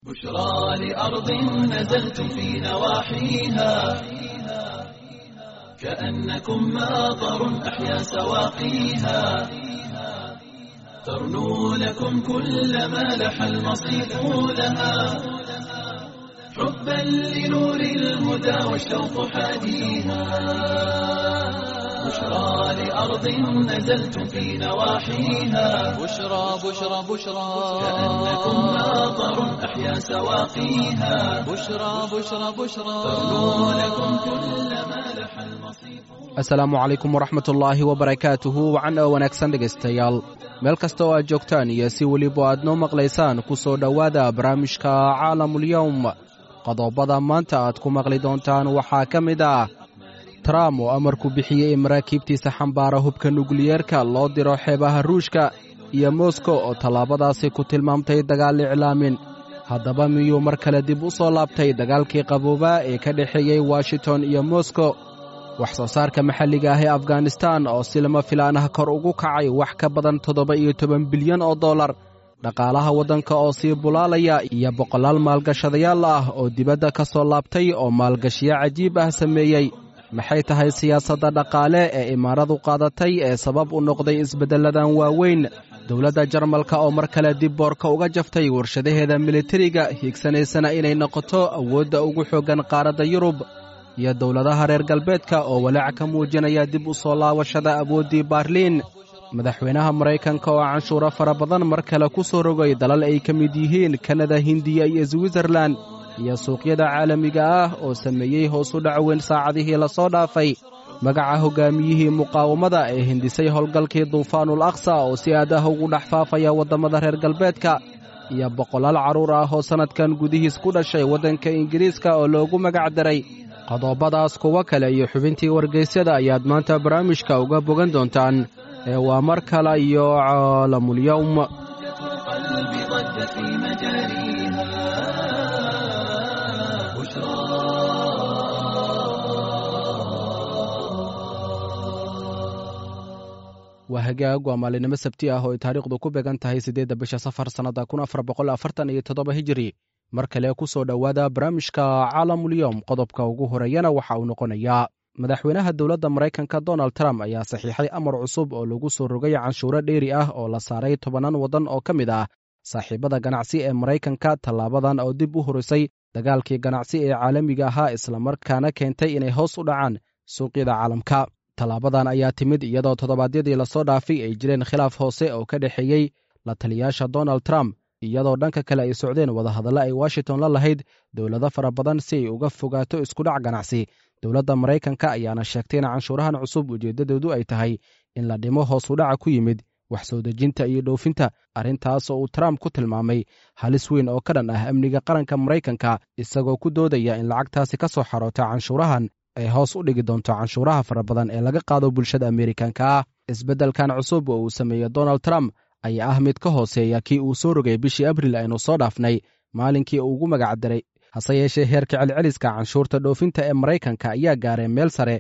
بشرى لأرض نزلتم في نواحيها كأنكم ماطر أحيا سواقيها ترنو لكم كل ما لح المصيف لها حبا لنور الهدى والشوق حاديها بشرى لأرض نزلتم في نواحيها بشرى بشرى بشرى كأنكم ماطر أحيا سواقيها بشرى بشرى بشرى ترنو لكم كل ما لح المصيف Asalaamu calaykum waraxmatullaahi wabarakaatuhu wacan oo wanaagsan dhegaystayaal meel kasta oo aad joogtaan iyo si weliba aad noo maqlaysaan ku soo dhowaada barnaamijka caalamulyowm. Qodobada maanta aad ku maqli doontaan waxaa ka mid ah Trump oo amarku bixiyey in maraakiibtiisa xambaara hubka nukliyeerka loo diro xeebaha Ruushka, iyo Moskow oo tallaabadaasi ku tilmaamtay dagaal iclaamin. Haddaba miyuu mar kale dib u soo laabtay dagaalkii qaboobaa ee ka dhexeeyey Washington iyo Moskow? Wax soo saarka maxalliga ah ee Afghanistan oo si lama filaan ah kor ugu kacay wax ka badan 17 bilyan oo dollar, dhaqaalaha waddanka oo sii bulaalaya, iyo boqolaal maalgashadayaal ah oo dibadda ka soo laabtay oo maalgashiyo cajiib ah sameeyey. Maxay tahay siyaasadda dhaqaale ee imaaradu qaadatay ee sabab u noqday isbeddelladan waaweyn? Dowladda Jarmalka oo mar kale dib boorka uga jaftay warshadaheeda militariga, hiigsanaysana inay noqoto awoodda ugu xooggan qaaradda Yurub, iyo dowladaha reer galbeedka oo walaac ka muujinaya dib u soo laabashada awooddii Baarliin. Madaxweynaha Maraykanka oo canshuuro fara badan mar kale ku soo rogay dalal ay ka mid yihiin Kanada, Hindiya iyo Switzerlan, iyo suuqyada caalamiga ah oo sameeyey hoos u dhac weyn saacadihii lasoo dhaafay. Magaca hoggaamiyihii muqaawamada ee hindisay howlgalkii Duufaanul Aqsa oo si aad ah ugu dhex faafaya waddamada reer galbeedka, iyo boqolaal carruur ah oo sannadkan gudihiis ku dhashay waddanka Ingiriiska oo loogu magac daray. Qodobadaas, kuwo kale iyo xubintii wargeysyada ayaad maanta barnaamijka uga bogan doontaan ee waa mar kale iyo Caalamulyowm. القلب ضج في مجاريها بشرى. Waa hagaag, waa maalinimo Sabti ah oo ay taariikhdu ku beegan tahay 8-da bisha Safar sannadda 1447 Hijiri. Mar kale ku soo dhowaada barnaamijka Caalamulyowm. Qodobka ugu horeeyana waxa uu noqonayaa madaxweynaha dowladda Maraykanka Donald Trump ayaa saxiixay amar cusub oo lagu soo rogay canshuuro dheeri ah oo la saaray tobanaan waddan oo ka mid ah saaxiibada ganacsi ee Maraykanka. Tallaabadan oo dib u horisay dagaalkii ganacsi ee caalamiga ahaa, islamarkaana keentay inay hoos u dhacaan suuqyada caalamka. Tallaabadan ayaa timid iyadoo toddobaadyadii lasoo dhaafay ay jireen khilaaf hoose oo ka dhexeeyey la taliyaasha Donald Trump, iyadoo dhanka kale ay socdeen wadahadallo ay Washington la lahayd dowlado fara badan si ay uga fogaato iskudhac ganacsi. Dowladda Maraykanka ayaana sheegtay in canshuurahan cusub ujeeddadoodu ay tahay in la dhimo hoos u dhaca ku yimid wax soo dejinta iyo dhoofinta, arrintaas oo uu Trump ku tilmaamay halis weyn oo ka dhan ah amniga qaranka Maraykanka, isagoo ku doodaya in lacagtaasi ka soo xaroota canshuurahan ay hoos u dhigi doonto canshuuraha fara badan ee laga qaado bulshada Ameerikanka ah. Isbeddelkan cusub oo uu sameeyey Donald Trump ayaa ah mid ka hooseeya kii uu soo rogay bishii Abril aynu soo dhaafnay, maalinkii uu ugu magac daray. Hase yeeshee, heerka celceliska canshuurta dhoofinta ee Maraykanka ayaa gaaray meel sare,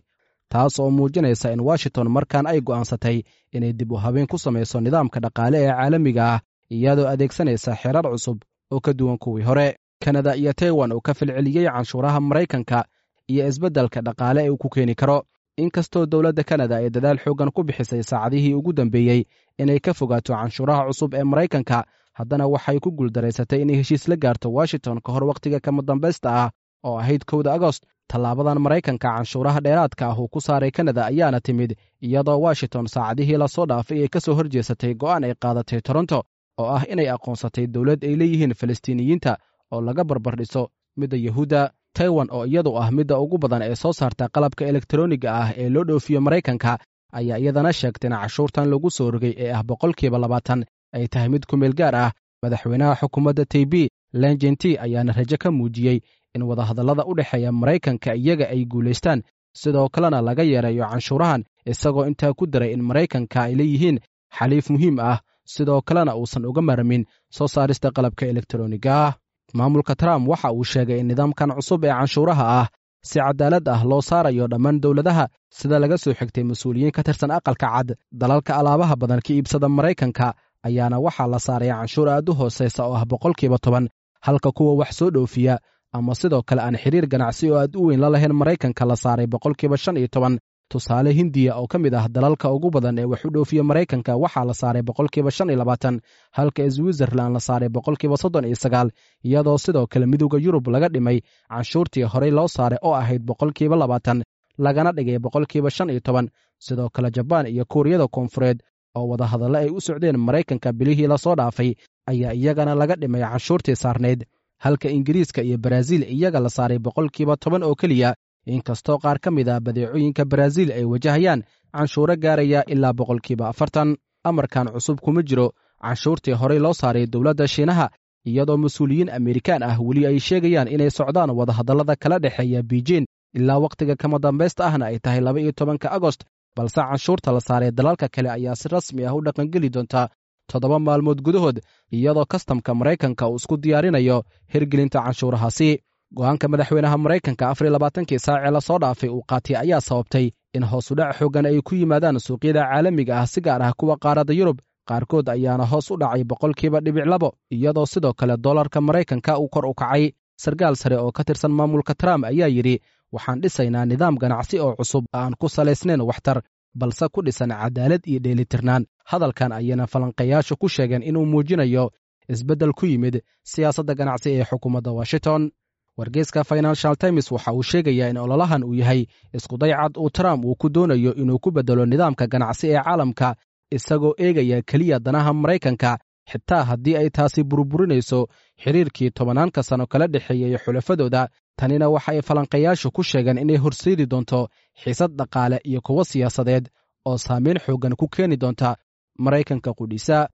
taas oo muujinaysa in Washington markan ay go'aansatay inay dib u habeen ku samayso nidaamka dhaqaale ee caalamiga ah, iyadoo adeegsanaysa xeerar cusub oo ka duwan kuwii hore. Kanada iyo Taiwan oo ka falceliyey canshuuraha Maraykanka iyo isbeddelka dhaqaale ee uu ku keeni karo. Inkastoo dowladda Kanada ay dadaal xooggan ku bixisay saacadihii ugu dambeeyey inay ka fogaato canshuuraha cusub ee Maraykanka, haddana waxay ku guuldaraysatay inay heshiis la gaarto Washington ka hor wakhtiga kama dambaysta ah oo ahayd 1-da Agost. Tallaabadan Maraykanka canshuuraha dheeraadka ah uu ku saaray Kanada ayaana timid iyadoo Washington saacadihii lasoo dhaafay ay ka soo horjeesatay go'aan ay qaadatay Toronto oo ah inay aqoonsatay dowlad ay leeyihiin Falastiiniyiinta oo laga barbardhiso midda Yahuudda. Taiwan oo iyadu ah midda ugu badan ee soo saarta qalabka elektroniga ah ee loo dhoofiyo Maraykanka ayaa iyadana sheegtay in cashuurtan lagu soo rogay ee ah 20% ay tahay mid ku meel gaar ah. Madaxweynaha xukuumadda Taibi Lenjenti ayaana rajo ka muujiyey in wadahadallada u dhexeeya Maraykanka iyaga ay guulaystaan, sidoo kalena laga yareeyo canshuurahan, isagoo intaa ku daray in Maraykanka ay leeyihiin xaliif muhiim ah, sidoo kalena uusan uga marmin soo saarista qalabka elektroniga ah. Maamulka Trump waxa uu sheegay in nidaamkan cusub ee canshuuraha ah si cadaalad ah loo saarayo dhammaan dowladaha. Sida laga soo xigtay mas-uuliyiin ka tirsan Aqalka Cad, dalalka alaabaha badan ka iibsada Maraykanka ayaana waxaa la saaray canshuur aad u hooseysa oo ah 10%, halka kuwa wax soo dhoofiya ama sidoo kale aan xiriir ganacsi oo aad u weyn la lahayn Maraykanka la saaray boqolkiiba 15. Tusaale, Hindiya oo ka mid ah dalalka ugu badan ee wax u dhoofiya Maraykanka waxaa la saaray boqolkiiba 25, halka Switzerland la saaray boqolkiiba 39, iyadoo sidoo kale Midowda Yurub laga dhimay canshuurtii horey loo saaray oo ahayd boqolkiiba 20, lagana dhigay boqolkiiba 15. Sidoo kale Jabaan iyo Kuuriyada Koonfureed oo wadahadallo ay u socdeen Maraykanka bilihii lasoo dhaafay ayaa iyagana laga dhimay canshuurtii saarnayd, halka Ingiriiska iyo Baraaziil iyaga la saaray boqolkiiba 10 oo keliya, inkastoo qaar ka mid ah badeecooyinka Baraaziil ay wajahayaan canshuuro gaaraya ilaa boqolkiiba 40. Amarkan cusub kuma jiro canshuurtii horey loo saaray dowladda Shiinaha, iyadoo mas-uuliyiin Amerikaan ah weli ay sheegayaan inay socdaan wadahadallada kala dhexeeya Beijing ilaa wakhtiga kama dambaysta ahna ay tahay 12-ka Agost, balse canshuurta la saaray dalalka kale ayaa si rasmi ah u dhaqangeli doonta 7 maalmood gudahood, iyadoo kastamka Maraykanka uu isku diyaarinayo hirgelinta canshuurahaasi. Go'aanka madaxweynaha Maraykanka 24-kii saacee lasoo dhaafay uu qaatay ayaa sababtay in hoosudhac xooggan ay ku yimaadaan suuqyada caalamiga ah, si gaar ah kuwa qaaradda Yurub. Qaarkood ayaana hoos u dhacay boqolkiiba 0.2, iyadoo sidoo kale dollarka Maraykanka uu kor u kacay. Sarkaal sare oo ka tirsan maamulka Trump ayaa yidhi: waxaan dhisaynaa nidaam ganacsi oo cusub aan ku salaysnayn waxtar, balse ku dhisan cadaalad iyo dheelitirnaan. Hadalkan ayayna falanqayaashu ku sheegeen inuu muujinayo isbeddel ku yimid siyaasadda ganacsi ee xukuumadda Washington. Wargeyska Financial Times waxa uu sheegayaa in ololahan uu yahay iskudaycad uu Trump uu ku doonayo inuu ku beddelo nidaamka ganacsi ee caalamka, isagoo eegaya keliya danaha Maraykanka, xitaa haddii ay taasi burburinayso xiriirkii tobanaanka sano kala dhexeeyey xulafadooda. Tanina waxa ay falanqayaashu ku sheegeen inay horseedi doonto xiisad dhaqaale iyo kuwo siyaasadeed oo saamayn xooggan ku keeni doonta Maraykanka qudhiisa.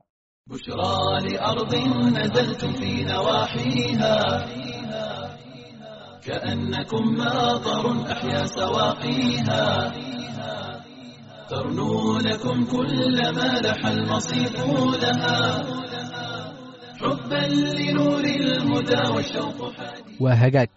بشرى لأرض نزلتم في نواحيها كأنكم ماطر أحيا سواقيها، ترنو لكم كل ما لح المصيف لها، حبا لنور الهدى والشوق حديث. Waa hagaag.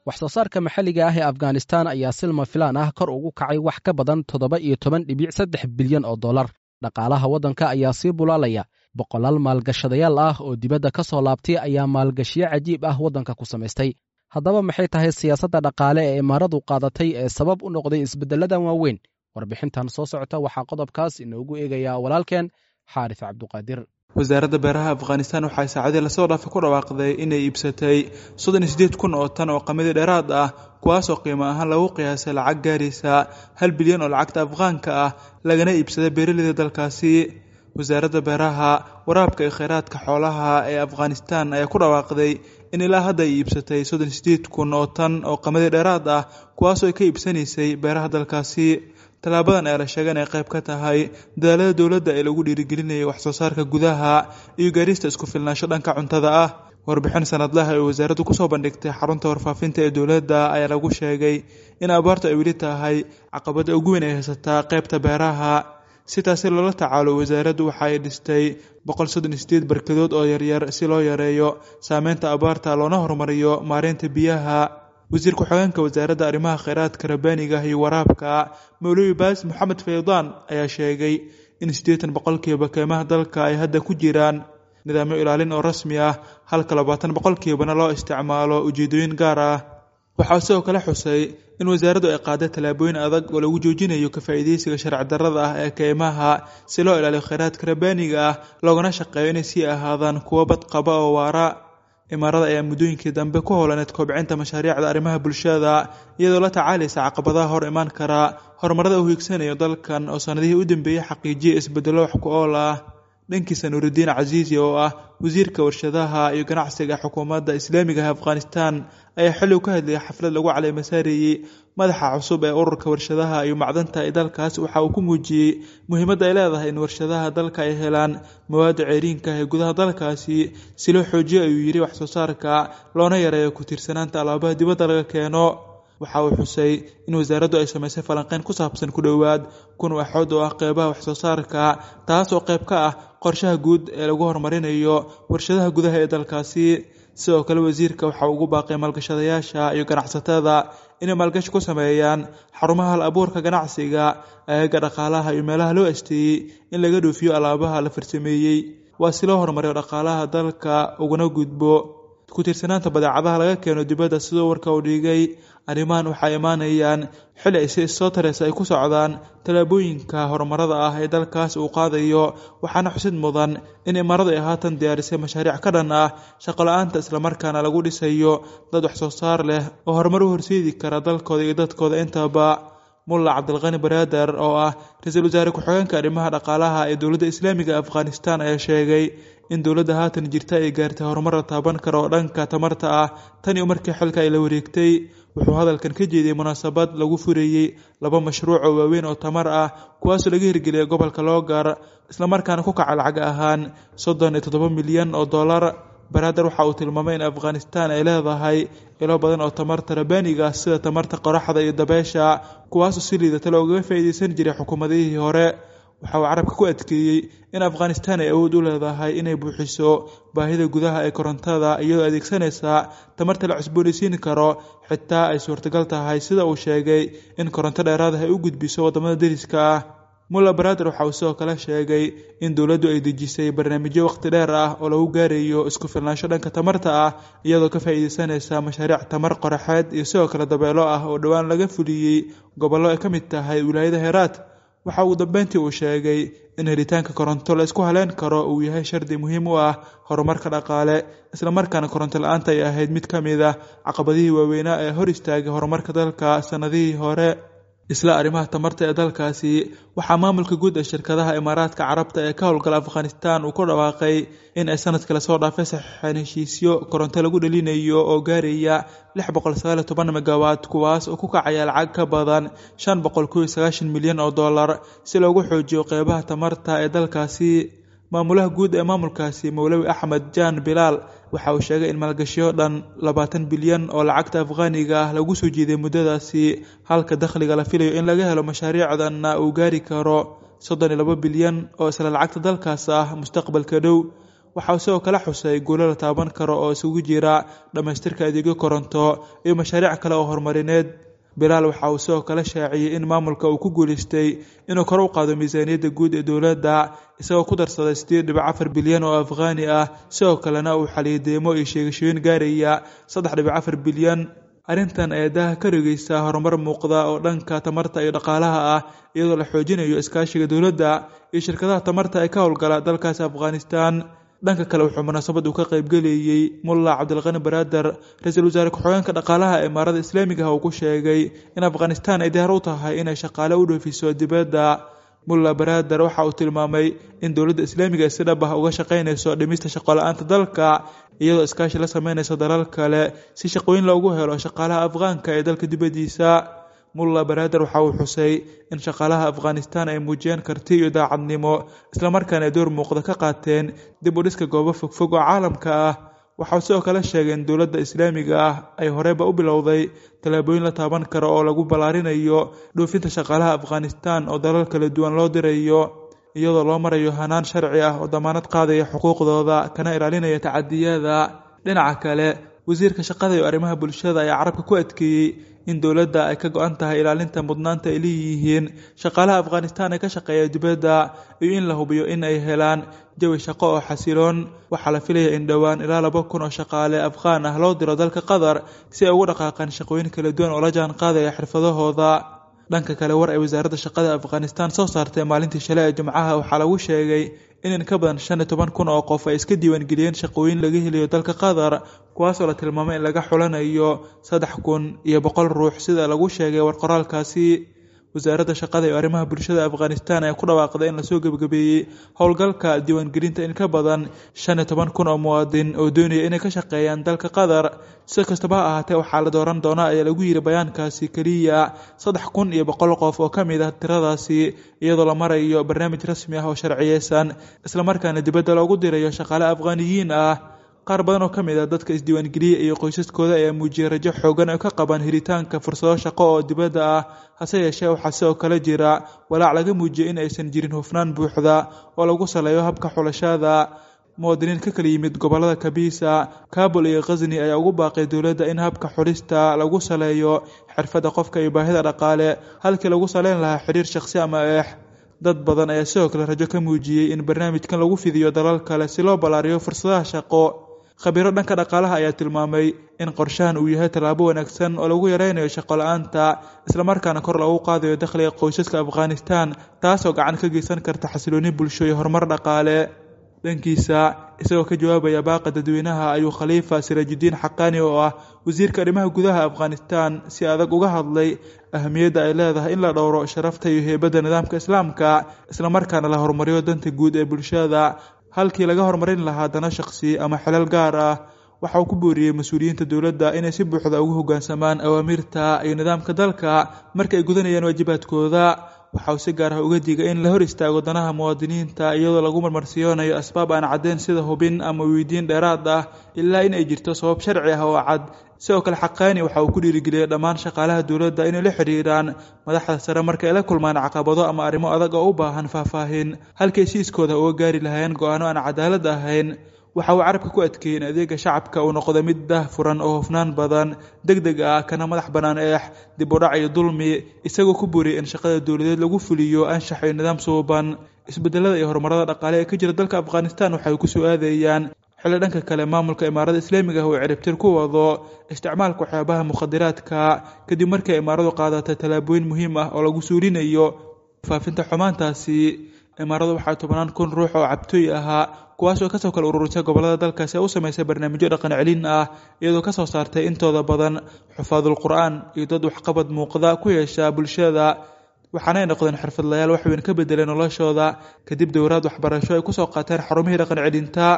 Wax soo saarka maxalliga ah ee Afghanistan ayaa silma filaan ah kor ugu kacay wax ka badan 17.3 bilyan oo dollar. Dhaqaalaha waddanka ayaa sii bulaalaya. Boqolaal maalgashadayaal ah oo dibadda ka soo laabtay ayaa maalgashiyo cajiib ah waddanka ku samaystay. Haddaba maxay tahay siyaasadda dhaqaale ee imaaradu qaadatay ee sabab u noqday isbeddelladan waaweyn? Warbixintan soo socota waxaa qodobkaas inoogu eegayaa walaalkeen Xaaris Cabduqaadir. Wasaaradda beeraha Afghanistan waxay saacadii lasoo dhaafay ku dhawaaqday inay iibsatay 38,000 oo tan oo qamadi dheeraad ah, kuwaasoo qiimo ahaan lagu qiyaasay lacag gaaraysa 1 bilyan oo lacagta Afghaanka ah, lagana iibsaday beeraleyda dalkaasi. Wasaaradda beeraha, waraabka iyo kheyraadka xoolaha ee Afghanistan ayaa ku dhawaaqday in ilaa hadda ay iibsatay 38,000 oo tan oo qamadi dheeraad ah, kuwaasoo ay ka iibsanaysay beeraha dalkaasi. Tallaabadan ayaa la sheegay inay qayb ka tahay dadaalada dowladda ee lagu dhiirigelinayo wax soo saarka gudaha iyo gaarista isku filnaansho dhanka cuntada ah. Warbixin sanadlaha ee wasaaraddu kusoo bandhigtay xarunta warfaafinta ee dowladda ayaa lagu sheegay in abaartu ay weli tahay caqabadda ugu weyn ee haysataa qaybta beeraha. Si taasi loola tacaalo, wasaaraddu waxa ay dhistay 138 barkadood oo yaryar si loo yareeyo saameynta abaarta loona horumariyo maareynta biyaha. Wasiir ku-xigeenka wasaaradda arrimaha kheyraadka rabbaaniga ah iyo waraabka, Mawlawi Baas Maxamed Faydaan, ayaa sheegay in 80% keymaha dalka ay hadda ku jiraan nidaamyo ilaalin oo rasmi ah, halka 20%na loo isticmaalo ujeedooyin gaar ah. Waxaa sidoo kale xusay in wasaaraddu ay qaaday tallaabooyin adag oo lagu joojinayo ka faa'iidaysiga sharci darrada ah ee keymaha si loo ilaaliyo kheyraadka rabbaaniga ah loogana shaqeeyo inay sii ahaadaan kuwo badqaba oo waara. Imaarada ayaa muddooyinkii dambe ku howlaneed kobcinta mashaariicda arrimaha bulshada, iyadoo la tacaalaysa caqabadaha hor imaan kara horumarada uu hiigsanayo dalkan oo sanadihii u dambeeyey xaqiijiyay isbeddello wax ku ool ah. Dhankiisa, Nuuridiin Casiisi oo ah wasiirka warshadaha iyo ganacsiga xukuumadda Islaamiga ah Afghanistan ayaa xilli uu ka hadlayay xaflad lagu caleemasaarayey madaxa cusub ee ururka warshadaha iyo macdanta ee dalkaas waxa uu ku muujiyey muhiimadda ay leedahay in warshadaha dalka ay helaan mawaadda ceyriinka ah ee gudaha dalkaasi si loo xoojiyo, ayuu yidhi, wax soo saarka loona yareeyo ku tiirsanaanta alaabaha dibadda laga keeno. Waxa uu xusay in wasaaraddu ay samaysay falanqeyn ku saabsan ku dhowaad 1000 waaxood oo ah qeybaha wax soo saarka, taas oo qayb ka ah qorshaha guud ee lagu horumarinayo warshadaha gudaha ee dalkaasi. Sidoo kale, wasiirka waxa uu ugu baaqay maalgashadayaasha iyo ganacsatada inay maalgashi ku sameeyaan xarumaha hal abuurka ganacsiga, aagagga dhaqaalaha iyo meelaha loo asteeyey in laga dhoofiyo alaabaha la farsameeyey, waa si loo horumariyo dhaqaalaha dalka uguna gudbo ku tiirsanaanta badeecadaha laga keeno dibadda, sidoo warka uu dhigay. Arrimahan waxay imaanayaan xili ay si soo tareysa ay ku socdaan tallaabooyinka horumarada ah ee dalkaas uu qaadayo, waxaana xusid mudan in imaaradu ay haatan diyaarisay mashaariic ka dhan ah shaqo la-aanta, islamarkaana lagu dhisayo dad wax soo saar leh oo horumar u horseedi kara dalkooda iyo dadkooda intaba. Mulla Cabdilqani Baraader oo ah ra-iisul wasaare ku-xigeenka arrimaha dhaqaalaha ee dowladda islaamiga Afghanistan ayaa sheegay in dowladda haatan jirta ay gaartay horumar la taaban karo oo dhanka tamarta ah tan iyo markii xilka ay la wareegtay. Wuxuu hadalkan ka jeediyey munaasabad lagu fureeyey laba mashruuc oo waaweyn oo tamar ah, kuwaasoo laga hirgeliyay gobolka Loogar, islamarkaana ku kaca lacag ahaan 37 milyan oo dollar. Baraader waxa uu tilmaamay in Afghanistan ay leedahay ilo badan oo tamarta rabaaniga ah sida tamarta qoraxda iyo dabeesha, kuwaasoo si liidata loogaga faa'iideysan jiray xukuumadihii hore. Waxa uu carabka ku adkeeyey in Afghanistan ay awood u leedahay inay buuxiso baahida gudaha ee korontada iyadoo adeegsanaysa tamarta la cusboonaysiin karo, xitaa ay suurtagal tahay, sida uu sheegay, in koronto dheeraad ah ay u gudbiso waddamada deriska ah. Mulla Baraader waxa uu sidoo kale sheegay in dowladdu ay dejisay barnaamijyo waqti dheer ah oo lagu gaarayo isku filnaansho dhanka tamarta ah, iyadoo ka faa'iideysanaysa mashaariic tamar qoraxeed iyo sidoo kale dabeelo ah oo dhowaan laga fuliyey gobollo ay ka mid tahay wilaayada Heeraat. Waxa ugu dambeyntii uu sheegay in helitaanka koronto la isku haleyn karo uu yahay shardi muhiim u ah horumarka dhaqaale, islamarkaana koronto la-aanta ay ahayd mid ka mid ah caqabadihii waaweynaa ee hor istaagay horumarka dalka sannadihii hore. Isla arrimaha tamarta ee dalkaasi, waxaa maamulka guud ee shirkadaha Imaaraadka Carabta ee ka howlgala Afghanistan uu ku dhawaaqay in ay sanadkii lasoo dhaafay saxiixeen heshiisyo koronto lagu dhalinayo oo gaaraya 619 megawatt, kuwaas oo ku kacaya lacag ka badan 591 milyan oo dollar, si loogu xoojiyo qeybaha tamarta ee dalkaasi. Maamulaha guud ee maamulkaasi, Mowlawi Axmed Jaan Bilaal, waxa uu sheegay in maalgashiyo dhan 20 bilyan oo lacagta afghaaniga ah lagu soo jiiday muddadaasi, halka dakhliga la filayo in laga helo mashaariicdanna uu gaari karo 32 bilyan oo isla lacagta dalkaas ah mustaqbalka dhow. Waxa uu sidoo kale xusay guulo la taaban karo oo isugu jira dhammaystirka adeegyo koronto iyo mashaariic kale oo horumarineed. Bilaal waxa uu sidoo kale shaaciyey in maamulka uu ku guuleystay inuu kor u qaado miisaaniyadda guud ee dowladda, isagoo ku darsaday 8.4 bilyan oo afghaani ah, sidoo kalena uu xaliyay deymo iyo sheegashooyin gaaraya 3.4 bilyan. Arrintan ayaa daaha ka rogeysa horumar muuqda oo dhanka tamarta iyo dhaqaalaha ah, iyadoo la xoojinayo iskaashiga dowladda iyo shirkadaha tamarta ee ka howlgala dalkaasi Afghanistan. Dhanka kale, wuxuu munaasabad uu ka qaybgelayey Mulla Cabdilqani Baraader, ra-iisul wasaare ku-xigeenka dhaqaalaha ee imaarada islaamiga ah, uu ku sheegay in Afghanistan ay diyaar u tahay inay shaqaale u dhoofiso dibadda. Mulla Baraader waxa uu tilmaamay in dowladda islaamiga ay si dhab ah uga shaqaynayso dhimista shaqo la-aanta dalka, iyadoo iskaashi la sameynaysa dalal kale si shaqooyin loogu helo shaqaalaha afghaanka ee dalka dibaddiisa. Mulla Baraader waxa uu xusay in shaqaalaha Afghanistan ay muujiyeen karti iyo daacadnimo, islamarkaana ay door muuqda ka qaateen dib u dhiska goobo fogfog oo caalamka ah. Waxa uu sidoo kale sheegay in dowladda islaamiga ah ay horeyba u bilowday tallaabooyin la taaban karo oo lagu ballaarinayo dhoofinta shaqaalaha Afghanistan oo dalal kala duwan loo dirayo, iyadoo loo marayo hanaan sharci ah oo damaanad qaadaya xuquuqdooda kana ilaalinaya tacadiyada. Dhinaca kale, wasiirka shaqada iyo arrimaha bulshada ayaa carabka ku adkeeyey in dowladda ay ka go-an tahay ilaalinta mudnaanta ay leeyihiin shaqaalaha Afghanistan ee ka shaqeeya dibadda iyo in la hubiyo in ay helaan jawi shaqo oo xasiloon. Waxaa la filaya in dhowaan ilaa 2000 oo shaqaale Afghaan ah loo diro dalka Qatar si ay ugu dhaqaaqaan shaqooyin kala duwan oo la jaan qaadaya xirfadahooda. Dhanka kale, war ay wasaaradda shaqada Afghanistan soo saartay maalintii shalay ee Jimcaha waxaa lagu sheegay in ka badan 15,000 oo qof ay iska diiwaangeliyeen shaqooyin laga helayo dalka Qatar, kuwaasoo la tilmaamay in laga xulanayo 3100 ruux, sida lagu sheegay war qoraalkaasi. Wasaaradda shaqada iyo arrimaha bulshada Afghanistan ayaa ku dhawaaqday in lasoo gebagabeeyey howlgalka diiwaangelinta in ka badan 15,000 oo muwaadin oo doonaya inay ka shaqeeyaan dalka Qatar. Si kastaba ha ahaatee, waxaa la dooran doonaa, ayaa lagu yiri bayaankaasi, keliya 3100 qof oo ka mid ah tiradaasi, iyadoo la marayo barnaamij rasmi ah oo sharciyeysan, islamarkaana dibadda loogu dirayo shaqaale Afghaaniyiin ah. Qaar badan oo ka mid ah dadka isdiiwaangeliyey iyo qoysaskooda ayaa muujiyey rajo xoogan oo ka qaban helitaanka fursado shaqo oo dibadda ah. Hase yeeshee, waxaa sidoo kale jira walaac laga muujiyey in aysan jirin hufnaan buuxda oo lagu saleeyo habka xulashada. Muwaadiniin ka kala yimid gobollada Kabiisa, Kabul iyo Khasni ayaa ugu baaqay dowladda in habka xulista lagu saleeyo xirfadda qofka iyo baahida dhaqaale, halkii lagu saleyn lahaa xiriir shakhsi ama eex. Dad badan ayaa sidoo kale rajo ka muujiyey in barnaamijkan lagu fidiyo dalal kale si loo ballaariyo fursadaha shaqo. Khabiiro dhanka dhaqaalaha ayaa tilmaamay in qorshahan uu yahay tallaabo wanaagsan oo lagu yareynayo shaqo la-aanta, islamarkaana kor loogu qaadayo dakhliga qoysaska Afghanistan, taasoo gacan ka geysan karta xasilooni bulsho iyo horumar dhaqaale. Dhankiisa, isagoo ka jawaabaya baaqa dadweynaha, ayuu Khaliifa Siraajudiin Xaqaani oo ah wasiirka arrimaha gudaha Afghanistan si adag uga hadlay ahamiyadda ay leedahay in la dhowro sharafta iyo heybadda nidaamka Islaamka, islamarkaana la horumariyo danta guud ee bulshada halkii laga horumarin lahaa dano shaqsi ama xilal gaar ah. Waxa uu ku booriyey mas-uuliyiinta dowladda inay si buuxda ugu hoggaansamaan awaamiirta iyo nidaamka dalka marka ay gudanayaan waajibaadkooda. Waxa uu si gaar ah uga digay in la hor istaago danaha muwaadiniinta iyadoo lagu marmarsiyoonayo asbaab aan caddeyn sida hubin ama weydiin dheeraad ah, ilaa in ay jirto sabab sharci ah oo cad. Sidoo kale, Xaqaani waxa uu ku dhiirigeliyey dhammaan shaqaalaha dowladda inay la xiriiraan madaxda sare marka ay la kulmaan caqabado ama arrimo adag oo u baahan faahfaahin, halkay siiskooda uga gaari lahaayeen go'aano aan cadaalad ahayn. Waxa uu carabka ku adkeeyey in adeega shacabka uu noqdo mid daahfuran oo hufnaan badan, deg deg ah, kana madax bannaan eex, dib u dhac iyo dulmi, isagoo ku booriyey in shaqada dowladeed lagu fuliyo anshax iyo nidaam suuban. Isbedelada iyo horumarada dhaqaale ee ka jira dalka Afghanistan waxay ku soo aadayaan xilli dhanka kale maamulka Imaarada Islaamiga ah uu ciribtir ku wado isticmaalka waxyaabaha mukhadiraadka, kadib markii imaaradu qaadatay tallaabooyin muhiim ah oo lagu suulinayo faafinta xumaantaasi. Imaaradu waxaa 10,000 ruux oo cabtooy ahaa, kuwaas oo kasoo kala ururisay gobollada dalkaasi, ee u sameysay barnaamijyo dhaqan celin ah, iyadoo kasoo saartay intooda badan xufaadul Qur'aan iyo dad waxqabad muuqda ku yeesha bulshada, waxaana ay noqdeen xirfadlayaal wax weyn ka bedelay noloshooda kadib dowraad waxbarasho ay kusoo qaateen xarumihii dhaqan celinta.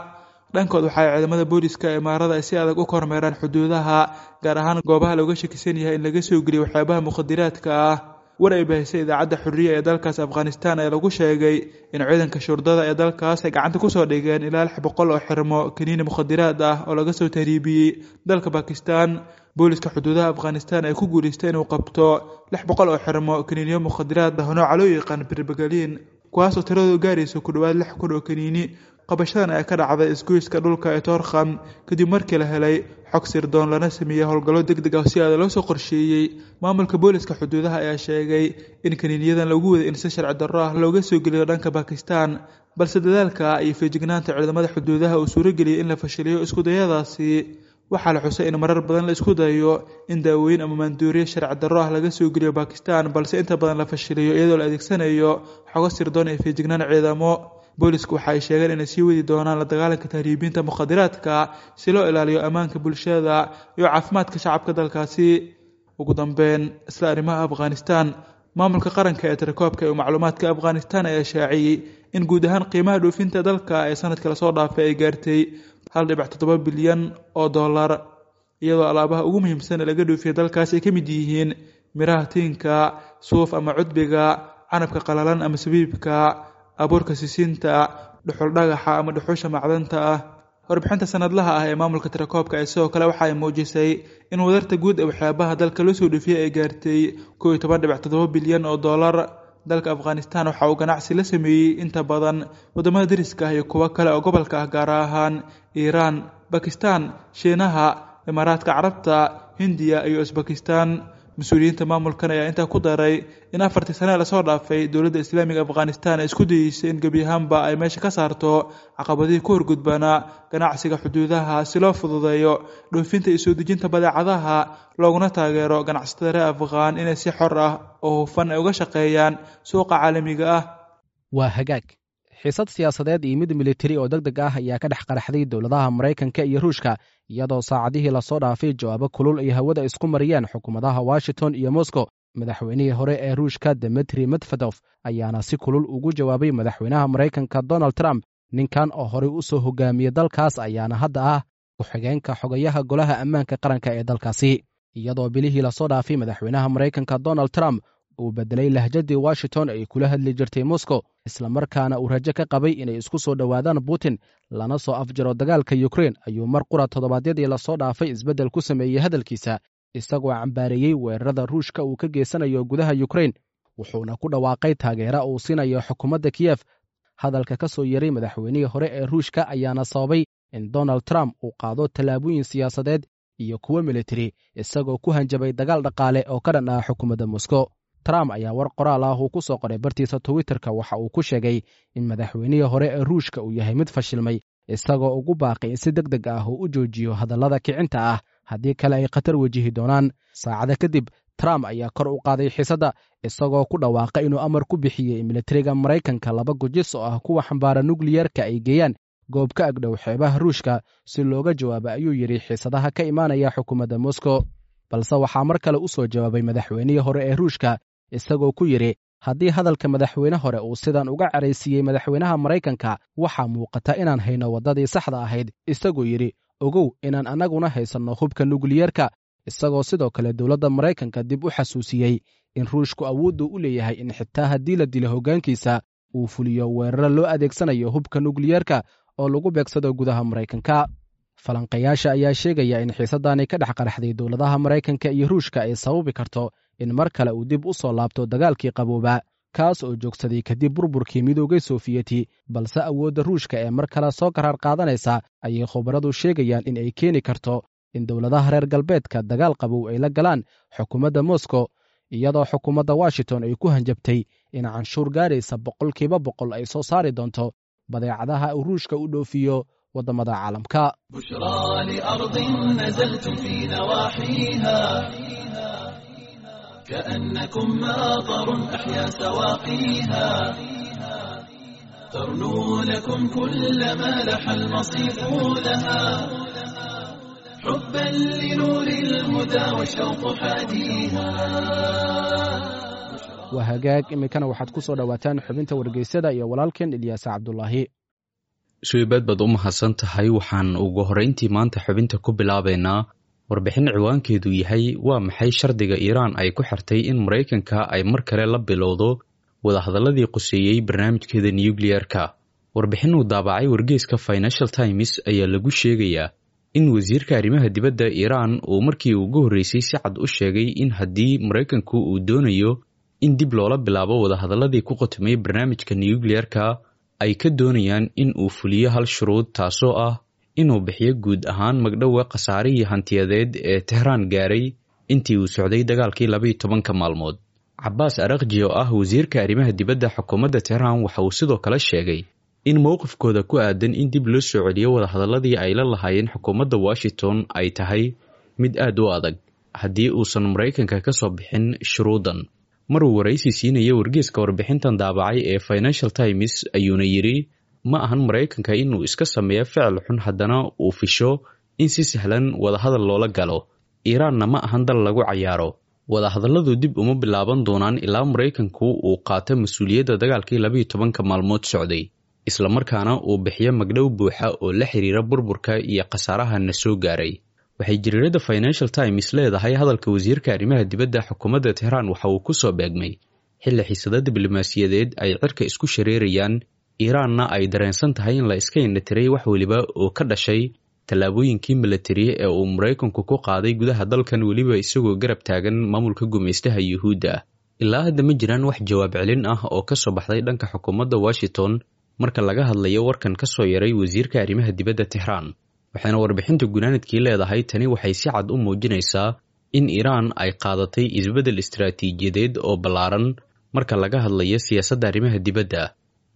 Dhankood, waxa ay ciidamada booliska ee imaarada ay si adag u kormeeraan xuduudaha, gaar ahaan goobaha looga shakisan yahay in laga soo geliyo waxyaabaha mukhadiraadka ah. War ay baahisay idaacadda Xurriya ee dalkaas Afghanistan ayaa lagu sheegay in ciidanka shurdada ee dalkaas ay gacanta kusoo dhigeen ilaa 600 oo xirmo kaniini mukhadiraad ah oo laga soo tahriibiyey dalka Bakistan. Booliska xuduudaha Afghanistan ay ku guuleystay inuu qabto 600 oo xirmo kaniiniyo mukhadiraad ah oo nooca loo yaqaan birbagaliin, kuwaasoo tiradoodu gaaraysa ku dhowaad 6000 oo kaniini. Qabashadan ayaa ka dhacday isgoyska dhulka ee Toorkham kadib markii la helay xog sirdoon lana sameeyey howlgallo deg deg ah si aada loo soo qorsheeyey. Maamulka booliska xuduudaha ayaa sheegay in kaniiniyadan lagu waday in si sharci darro ah looga soo geliyo dhanka Bakistan, balse dadaalka iyo feejignaanta ciidamada xuduudaha uu suurageliyey in la fashiliyo iskudayadaasi. Waxaa la xusay in marar badan la isku dayo in daawooyin ama maanduuriye sharci darro ah laga soo geliyo Bakistan, balse inta badan la fashiliyo iyadoo la adeegsanayo xogo sirdoon iyo feejignaan ciidamo. Boolisku waxa ay sheegeen inay sii wadi doonaan la dagaalanka tahriibinta mukhadiraadka si loo ilaaliyo ammaanka bulshada iyo caafimaadka shacabka dalkaasi. Ugu dambeyn, isla arrimaha Afghanistan, maamulka qaranka ee tirakoobka iyo macluumaadka Afghanistan ayaa shaaciyey in guud ahaan qiimaha dhoofinta dalka ee sanadka lasoo dhaafay ay gaartay 1.7 bilyan oo dollar, iyadoo alaabaha ugu muhiimsan ee laga dhoofiya dalkaas ay ka mid yihiin miraha tiinka, suuf ama cudbiga, canabka qalalan ama sabiibka, abuurka sisinta, dhuxul dhagaxa ama dhuxusha macdanta ah. Warbixinta sanadlaha ah ee maamulka tirakoobka ee sidoo kale waxa ay muujisay in wadarta guud ee waxyaabaha dalka loo soo dhoofiyey ay gaartay 11.7 bilyan oo dollar. Dalka Afghanistan waxa uu ganacsi la sameeyey inta badan waddamada deriska ah iyo kuwo kale oo gobolka ah, gaar ahaan Iiraan, Bakistan, Shiinaha, Imaaraadka Carabta, Hindiya iyo Usbakistan. Mas-uuliyiinta maamulkan ayaa intaa ku daray in 4tii sane lasoo dhaafay dowladda Islaamiga Afghanistan ay isku dayeysay in gebi ahaanba ay meesha ka saarto caqabadihii ku horgudbanaa ganacsiga xuduudaha si loo fududeeyo dhoofinta iyo soo dejinta badeecadaha, looguna taageero ganacsatada reer Afghaan inay si xor ah oo hufan ay uga shaqeeyaan suuqa caalamiga ah. Waa hagaag. Xiisad siyaasadeed iyo mid militari oo deg deg ah ayaa ka dhex qaraxday dowladaha Maraykanka iyo Ruushka, iyadoo saacadihii lasoo dhaafay jawaabo kulul ay hawada isku mariyeen xukuumadaha Washington iyo Moscow. Madaxweynihii hore ee Ruushka Demetri Medvedof ayaana si kulul ugu jawaabay madaxweynaha Maraykanka Donald Trump. Ninkan oo horey u soo hogaamiyey dalkaas ayaana hadda ah ku-xigeenka xogayaha golaha ammaanka qaranka ee dalkaasi, iyadoo bilihii lasoo dhaafay madaxweynaha Maraykanka Donald Trump uu bedelay lahjadii Washington ay kula hadli jirtay Moscow, islamarkaana uu rajo ka qabay inay isku soo dhowaadaan Putin lana soo afjaro dagaalka Ukrein, ayuu mar qura toddobaadyadii lasoo dhaafay isbeddel ku sameeyey hadalkiisa, isagoo cambaareeyey weerarada Ruushka uu ka geysanayo gudaha Ukrein, wuxuuna ku dhawaaqay taageera uu siinayo xukuumadda Kiyef. Hadalka ka soo yeray madaxweynihii hore ee Ruushka ayaana sababay in Donald Trump uu qaado tallaabooyin siyaasadeed iyo kuwo militari, isagoo ku hanjabay dagaal dhaqaale oo ka dhan ah xukuumadda Moscow. Trump ayaa war qoraal ah uu ku soo qoray bartiisa Twitterka waxa uu ku sheegay in madaxweynihii hore ee Ruushka uu yahay mid fashilmay, isagoo ugu baaqay in si deg deg ah uu u joojiyo hadallada kicinta ah, haddii kale ay khatar wajihi doonaan. Saacada kadib Trump ayaa kor u qaaday xiisadda, isagoo ku dhawaaqay inuu amar ku bixiyey militariga Maraykanka 2 gujis oo ah kuwa xambaara nukliyerka ay geeyaan goob ka agdhow xeebaha Ruushka si looga jawaabo, ayuu yidhi, xiisadaha ka imaanaya xukuumadda Moscow. Balse waxaa mar kale u soo jawaabay madaxweynihii hore ee Ruushka, isagoo ku yidhi haddii hadalka madaxweyne hore uu sidan uga caraysiiyey madaxweynaha Maraykanka, waxaa muuqata inaan hayno waddadii saxda ahayd, isagoo yidhi ogow inaan annaguna haysanno hubka nukliyerka, isagoo sidoo kale dowladda Maraykanka dib u xasuusiyey in Ruushku awooddu u leeyahay in xitaa haddii la dilo hoggaankiisa uu fuliyo weeraro loo adeegsanayo hubka nukliyerka oo lagu beegsado gudaha Maraykanka. Falanqayaasha ayaa sheegaya in xiisadani ka dhex qaraxday dowladaha Maraykanka iyo Ruushka ay sababi karto in mar kale uu dib u soo laabto dagaalkii qabooba, kaas oo joogsaday kadib burburkii Midoogay Soofiyeti. Balse awoodda Ruushka ee mar kale soo karaar qaadanaysa ayay khubaradu sheegayaan in ay keeni karto in dowladaha reer galbeedka dagaal qabow ay la galaan xukuumadda Moscow, iyadoo xukuumadda Washington ay ku hanjabtay in canshuur gaaraysa 100% ay soo saari doonto badeecadaha uu Ruushka u dhoofiyo waddamada caalamka. بشرى لأرض نزلتم في نواحيها كأنكم ماطر أحيا سواقيها، ترنو لكم كل ما لح المصيف لها، حبا لنور الهدى والشوق حاديها. Waa hagaag, iminkana waxaad ku soo dhowaataan xubinta wargeysyada iyo walaalkeen Ilyaas Cabdulaahi. Suibaad baad u mahadsan tahay. Waxaan ugu horreyntii maanta xubinta ku bilaabaynaa warbixin ciwaankeedu yahay waa maxay shardiga Iiraan ay ku xirtay in Maraykanka ay mar kale la bilowdo wadahadalladii quseeyey barnaamijkeeda nukliyeerka. Warbixin uu daabacay wargeyska Financial Times ayaa lagu sheegayaa in wasiirka arrimaha dibadda Iiraan uu markii ugu horreysay si cad u sheegay in haddii Maraykanku uu doonayo in dib loola bilaabo wadahadalladii ku qotomay barnaamijka nukliyeerka, ay ka doonayaan in uu fuliyo hal shuruud, taasoo ah inuu bixiyo guud ahaan magdhowga khasaarihii hantiyadeed ee Tehraan gaaray intii uu socday dagaalkii 12-ka maalmood. Cabbaas Arakji oo ah wasiirka arrimaha dibadda xukuumadda Tehraan waxa uu sidoo kale sheegay in mowqifkooda ku aadan in dib loo soo celiyo wadahadalladii ay la lahaayeen xukuumadda Washington ay tahay mid aad u adag haddii uusan Maraykanka ka soo bixin shuruuddan. Maruu waraysi siinaya wargeyska warbixintan daabacay ee Financial Times ayuuna yidhi ma ahan Maraykanka inuu iska sameeyo ficil xun haddana uu fisho in si sahlan wadahadal loola galo. Iiraanna ma ahan dal lagu cayaaro. Wadahadalladu dib uma bilaaban doonaan ilaa Maraykanku uu qaato mas-uuliyadda dagaalkii 12-ka maalmood socday, islamarkaana uu bixiyo magdhow buuxa oo la xiriira burburka iyo khasaaraha na soo gaaray. Waxay jariirada Financial Times leedahay hadalka wasiirka arrimaha dibadda xukuumadda Tehraan waxa uu ku soo beegmay xilli xiisado diblomaasiyadeed ay cirka isku shareerayaan, Iiraanna ay dareensan tahay in la iska indhatiray wax weliba oo ka dhashay tallaabooyinkii milatari ee uu Maraykanku ku qaaday gudaha dalkan, weliba isagoo garab taagan maamulka gumaystaha Yuhuudda. Ilaa hadda ma jiraan wax jawaab celin ah oo ka soo baxday dhanka xukuumadda Washington marka laga hadlayo warkan ka soo yaray wasiirka arrimaha dibadda Tehraan. Waxayna warbixinta gunaanadkii leedahay tani waxay si cad u muujinaysaa in Iiraan ay qaadatay isbeddel istaraatiijiyadeed oo ballaaran marka laga hadlayo siyaasadda arrimaha dibadda,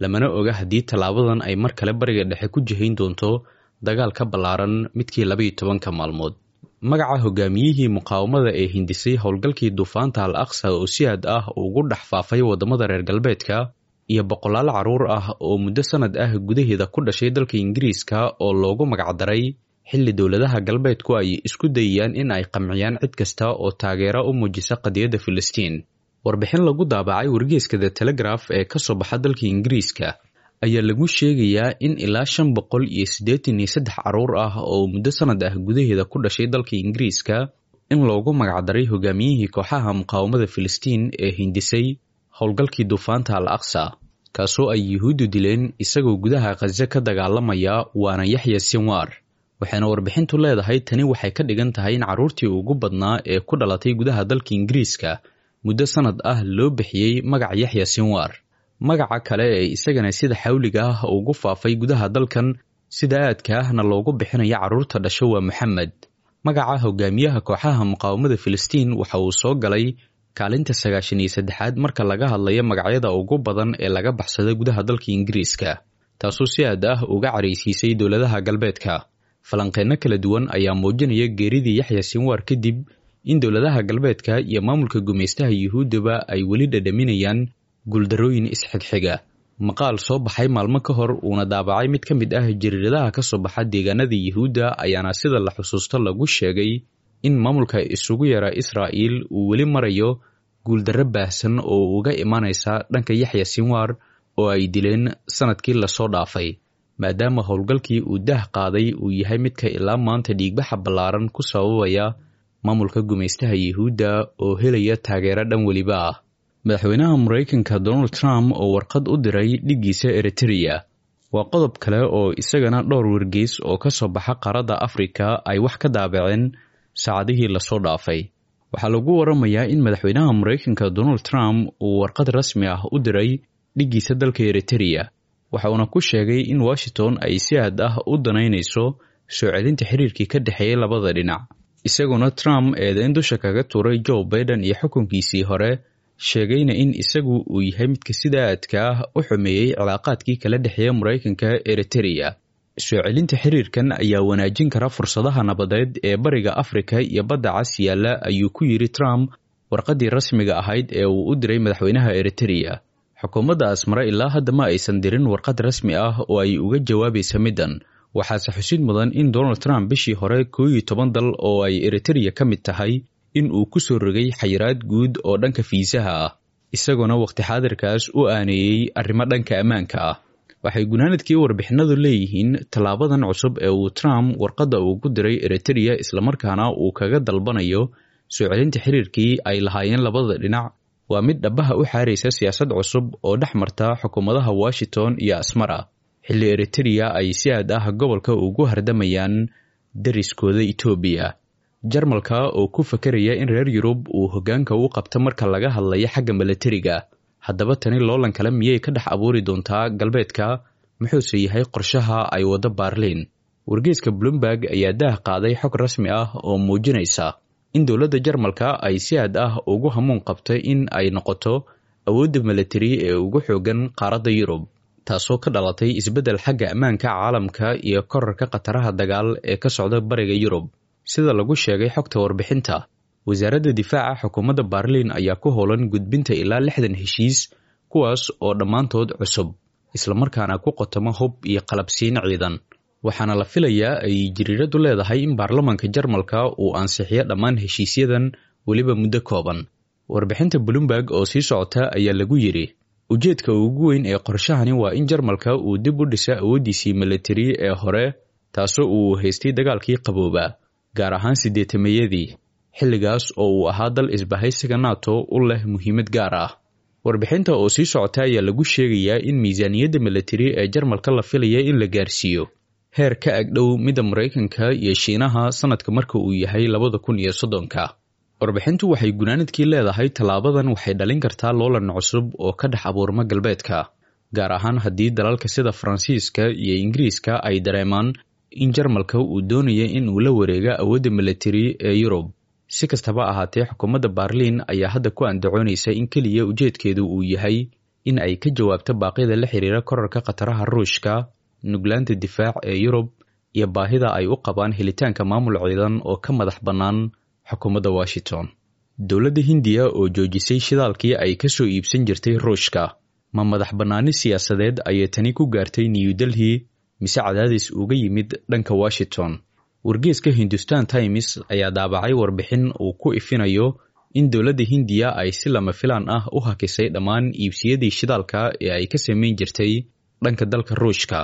lamana oga haddii tallaabadan ay mar kale bariga dhexe ku jihayn doonto dagaal ka ballaaran midkii 12-ka maalmood. Magaca hogaamiyihii muqaawamada ee hindisay howlgalkii duufaanta Al Aqsa oo si aad ah ugu dhex faafay waddamada reer galbeedka iyo boqolaal carruur ah oo muddo sanad ah gudaheeda ku dhashay dalka Ingiriiska oo loogu magacdaray, xilli dowladaha galbeedku ay isku dayayaan in ay qamciyaan cid kasta oo taageero u muujisa qadiyadda Filistiin. Warbixin lagu daabacay wargeyska The Telegraph ee ka soo baxa dalka Ingiriiska ayaa lagu sheegayaa in ilaa 583 carruur ah oo muddo sanad ah gudaheeda ku dhashay dalka Ingiriiska in loogu magacdaray hogaamiyihii kooxaha muqaawamada Filistiin ee hindisay howlgalkii duufaanta Al Aqsa, kaasoo ay Yuhuuddu dileen isagoo gudaha Khaza ka dagaalamaya, waana Yaxya Sinwar. Waxayna warbixintu leedahay tani waxay ka dhigan tahay in carruurtii ugu badnaa ee ku dhalatay gudaha dalka Ingiriiska muddo sanad ah loo bixiyey magaca Yaxya Sinwar. Magaca kale ee isagana sida xawliga ah ugu faafay gudaha dalkan sida aadka ahna loogu bixinayo carruurta dhasho waa Maxamed. Magaca hogaamiyaha kooxaha muqaawamada Filistiin waxa uu soo galay kaalinta 93aad marka laga hadlayo magacyada ugu badan ee laga baxsada gudaha dalka Ingiriiska. Taasoo si aad ah uga caraysiisay dowladaha galbeedka. Falanqeynno kala duwan ayaa muujinaya geeridii Yaxya Sinwaar kadib in dowladaha galbeedka iyo maamulka gumaystaha Yuhuuddaba ay weli dhadhaminayaan guuldarrooyin isxigxiga. Maqaal soo baxay maalmo ka hor uuna daabacay mid ka mid ah jariiradaha ka soo baxa deegaanada Yuhuudda ayaana sida la xusuusto lagu sheegay in maamulka isugu yara Israa'iil uu weli marayo guuldarro baahsan oo uga imaanaysa dhanka Yaxya Sinwaar oo ay dileen sanadkii lasoo dhaafay, maadaama howlgalkii uu daah qaaday uu yahay midka ilaa maanta dhiigbaxa ballaaran ku sababaya maamulka gumaystaha Yuhuudda oo helaya taageero dhan weliba ah. Madaxweynaha Maraykanka Donald Trump oo warqad u diray dhiggiisa Eritrea waa qodob kale oo isagana dhowr wargeys oo ka soo baxa qaaradda Afrika ay wax ka daabaceen saacadihii lasoo dhaafay. Waxaa lagu waramayaa in madaxweynaha Maraykanka Donald Trump uu warqad rasmi ah u diray dhiggiisa dalka Eritrea, waxa uuna ku sheegay in Washington ay si aad ah u danaynayso soo celinta xiriirkii ka dhexeeyay labada dhinac, isagoona Trump eedeyn dusha kaga tuuray Joe Biden iyo xukunkiisii hore, sheegayna in isagu uu yahay midka sida aadka ah u xumeeyey cilaaqaadkii kala dhexeeya Maraykanka Eritrea. Soo celinta xiriirkan ayaa wanaajin kara fursadaha nabadeed ee Bariga Afrika iyo Badda Cas yaalla, ayuu ku yidhi Trump warqaddii rasmiga ahayd ee uu u diray madaxweynaha Eritrea. Xukuumadda Asmara ilaa hadda ma aysan dirin warqad rasmi ah oo ay uga jawaabaysa middan. Waxaase xusid mudan in Donald Trump bishii hore 11 dal oo ay Eritrea ka mid tahay in uu ku soo rogay xayiraad guud oo dhanka fiisaha ah, isagoona waqti xaadirkaas u aaneeyey arrimo dhanka ammaanka ah. Waxay gunaanadkii warbixinadu leeyihiin tallaabadan cusub ee uu Trump warqadda ugu diray Eritrea islamarkaana uu kaga dalbanayo soo celinta xiriirkii ay lahaayeen labada dhinac waa mid dhabaha u xaaraysa siyaasad cusub oo dhex marta xukuumadaha Washington iyo Asmara, xilli Eritrea ay si aad ah gobolka ugu hardamayaan dariskooda Itoobiya. Jarmalka oo ku fakaraya in reer Yurub uu hoggaanka u qabto marka laga hadlayo xagga milatariga, haddaba tani loolan kale miyay ka dhex abuuri doontaa galbeedka? Muxuuse yahay qorshaha ay waddo Baarliin? Wargeyska Bloomberg ayaa daah qaaday xog rasmi ah oo muujinaysa in dowladda Jarmalka ay si aad ah ugu hamuun qabtay in ay noqoto awoodda milatari ee ugu xooggan qaaradda Yurub, taasoo ka dhalatay isbeddel xagga ammaanka caalamka iyo korarka khataraha dagaal ee ka socda bariga Yurub. Sida lagu sheegay xogta warbixinta, wasaaradda difaaca xukuumadda Baarliin ayaa ku howlan gudbinta ilaa 60 heshiis, kuwaas oo dhammaantood cusub, islamarkaana ku qotoma hub iyo qalabsiin ciidan. Waxaana la filayaa ay jiriiradu leedahay in baarlamaanka Jarmalka uu ansixiyo dhammaan heshiisyadan weliba muddo kooban. Warbixinta Bloomberg oo sii socota ayaa lagu yidhi ujeedka ugu weyn ee qorshahani waa in Jarmalka uu dib u dhisa awooddiisii milatari ee hore, taasoo uu haystay dagaalkii qaboobaa, gaar ahaan siddeetameeyadii, xilligaas oo uu ahaa dal isbahaysiga NATO u leh muhiimad gaar ah. Warbixinta oo sii socota ayaa lagu sheegayaa in miisaaniyadda milatari ee Jarmalka la filaya in la gaarsiiyo heer ka agdhow midda Maraykanka iyo Shiinaha sanadka marka uu yahay 2030-ka. Warbixintu waxay gunaanadkii leedahay tallaabadan waxay dhalin kartaa loolan cusub oo ka dhex abuurma galbeedka, gaar ahaan haddii dalalka sida Faransiiska iyo Ingiriiska ay dareemaan in Jarmalka uu doonaya in uu la wareega awoodda milatari ee Yurub. Si kastaba ahaatee, xukuumadda Baarliin ayaa hadda ku andacoonaysa in keliya ujeedkeedu uu yahay in ay ka jawaabto baaqyada la xiriira korarka khataraha Ruushka, nuglaanta difaac ee Yurub iyo baahida ay u qabaan helitaanka maamul ciidan oo ka madax bannaan xukuumadda Washington. Dowladda Hindiya oo joojisay shidaalkii ay ka soo iibsan jirtay Ruushka, ma madax bannaani siyaasadeed ayay tani ku gaartay New Delhi mise cadaadis uga yimid dhanka Washington? Wargeyska Hindustan Times ayaa daabacay warbixin uu ku ifinayo in dowladda Hindiya ay si lama filaan ah u hakisay dhammaan iibsiyadii shidaalka ee ay ka samayn jirtay dhanka dalka Ruushka.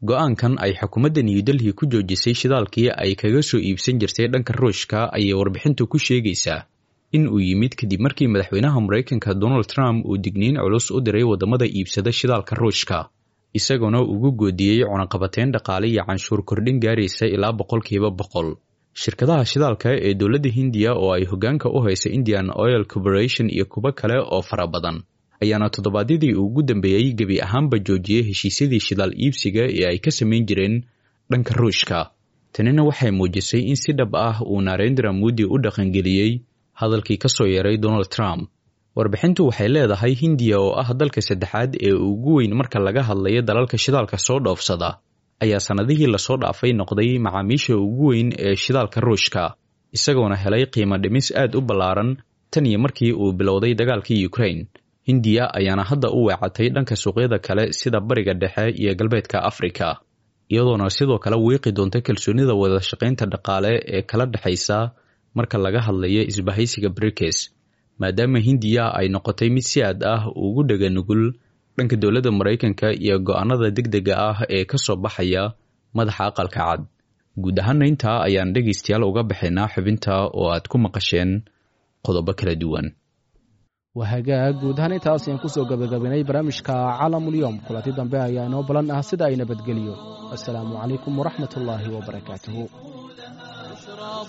Go-aankan ay xukuumadda New Delhi ku joojisay shidaalkii ay kaga soo iibsan jirtay dhanka Ruushka ayay warbixintu ku sheegaysaa in uu yimid kadib markii madaxweynaha Maraykanka Donald Trump uu digniin culus u diray waddamada iibsada shidaalka Ruushka, isagoona ugu goodiyey cunaqabateyn dhaqaale iyo canshuur kordhin gaaraysa ilaa 100%. Shirkadaha shidaalka ee dowladda Hindiya oo ay hoggaanka u haysa Indian Oil Corporation iyo kuwo kale oo fara badan ayaana toddobaadyadii ugu dambeeyey gebi ahaanba joojiyey heshiisyadii shidaal iibsiga ee ay ka samayn jireen dhanka Ruushka. Tanina waxay muujisay in si dhab ah uu Narendra Modi u dhaqangeliyey hadalkii ka soo yeeray Donald Trump. Warbixintu waxay leedahay Hindiya oo ah dalka saddexaad ee ugu weyn marka laga hadlayo dalalka shidaalka soo dhoofsada ayaa sannadihii lasoo dhaafay noqday macaamiisha ugu weyn ee shidaalka Ruushka, isagoona helay qiimo dhimis aad u ballaaran tan iyo markii uu bilowday dagaalkii Ukraine. Hindiya ayaana hadda u weecatay dhanka suuqyada kale sida Bariga Dhexe iyo Galbeedka Afrika, iyadoona sidoo kale wiiqi doonta kalsoonida wada shaqaynta dhaqaale ee kala dhexaysa marka laga hadlayo isbahaysiga BRICS, maadaama Hindiya ay noqotay mid si aad ah ugu dhega nugul dhanka dowladda Maraykanka iyo go'aanada degdega ah ee ka soo baxaya madaxa aqalka cad. Guud ahaana intaa ayaan dhegaystayaal uga baxaynaa xubinta oo aad ku maqasheen qodobo kala duwan. Waa hagaag, guud ahaan intaas ayaan kusoo gabagabaynay barnaamijka Caalamulyoom. Kulanti dambe ayaa inoo balan ah sida ay nabadgeliyo. Assalaamu calaykum waraxmat ullaahi wabarakaatuhu.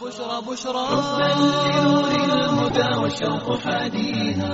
بشرى بشرى حبا لنور الهدى والشوق حاديها.